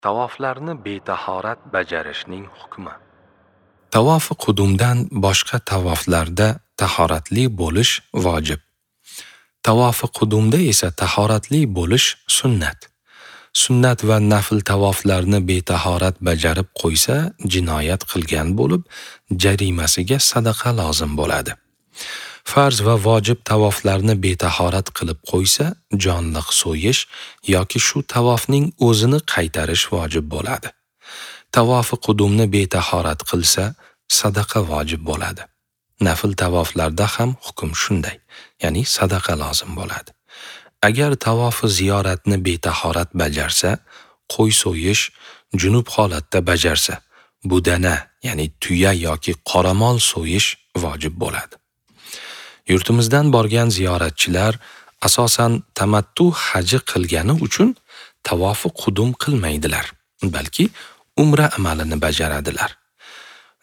Tavoflarni betahorat bajarishning hukmi. Tavofi qudumdan boshqa tavoflarda tahoratli bo'lish vojib. Tavofi qudumda esa tahoratli bo'lish sunnat. Sunnat va nafl tavoflarni betahorat bajarib qo'ysa, jinoyat qilgan bo'lib, jarimasiga sadaqa lozim bo'ladi. Farz va vojib tavoflarni betahorat qilib qo'ysa, jonliq so'yish yoki shu tavofning o'zini qaytarish vojib bo'ladi. Tavofi qudumni betahorat qilsa, sadaqa vojib bo'ladi. Nafl tavoflarda ham hukm shunday, ya'ni sadaqa lozim bo'ladi. Agar tavofi ziyoratni betahorat bajarsa, qo'y so'yish junub holatda bajarsa, budana, ya'ni tuya yoki qoramol so'yish vojib bo'ladi. Yurtimizdan borgan ziyoratchilar asosan tamattu haji qilgani uchun tavofi qudum qilmaydilar, balki umra amalini bajaradilar.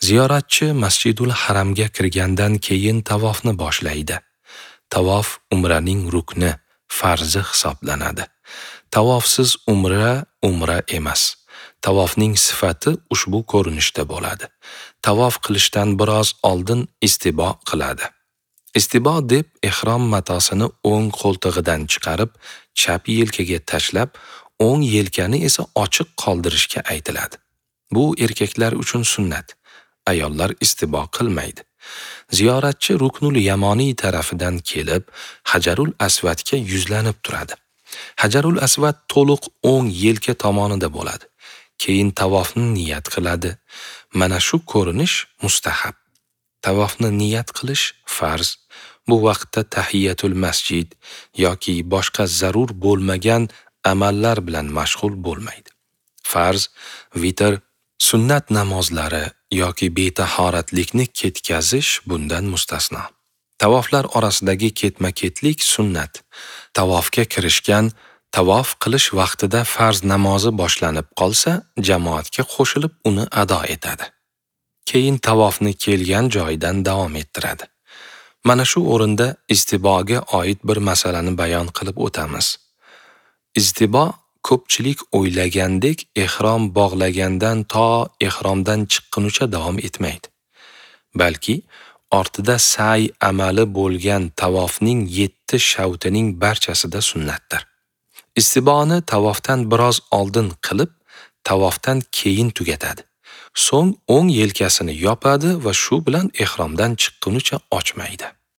Ziyoratchi Masjidul Haramga kirgandan keyin tavofni boshlaydi. Tavof umraning rukni, farzi hisoblanadi. Tavofsiz umra umra emas. Tavofning sifati ushbu ko'rinishda bo'ladi. Tavof qilishdan biroz oldin istibo qiladi. Istibo deb ihrom matosini o'ng qo'ltig'idan chiqarib, chap yelkaga tashlab, o'ng yelkani esa ochiq qoldirishga aytiladi. Bu erkaklar uchun sunnat. Ayollar istibo qilmaydi. Ziyoratchi Ruknul Yamoniy tarafidan kelib, Hajarul Asvadga yuzlanib turadi. Hajarul Asvad to'liq o'ng yelka tomonida bo'ladi. Keyin tavofni niyat qiladi. Mana shu ko'rinish mustahab. Tavofni niyat qilish farz. Bu vaqtda tahiyatul masjid yoki boshqa zarur bo'lmagan amallar bilan mashg'ul bo'lmaydi. Farz, vitr, sunnat namozlari yoki betahoratlikni ketkazish bundan mustasno. Tavoflar orasidagi ketma-ketlik sunnat. Tavofga kirishgan, tavof qilish vaqtida farz namozi boshlanib qolsa, jamoatga qo'shilib uni ado etadi. Keyin tavofni kelgan joyidan davom ettiradi. Mana shu o'rinda istiboga oid bir masalani bayon qilib o'tamiz. Istibo ko'pchilik o'ylagandek ihrom bog'lagandan to ihromdan chiqqunicha davom etmaydi. Balki ortida sa'y amali bo'lgan tavofning 7 shavtining barchasida sunnatdir. Istiboni tavofdan biroz oldin qilib, tavofdan keyin tugatadi. So'ng o'ng yelkasini yopadi va shu bilan ihromdan chiqqunicha ochmaydi.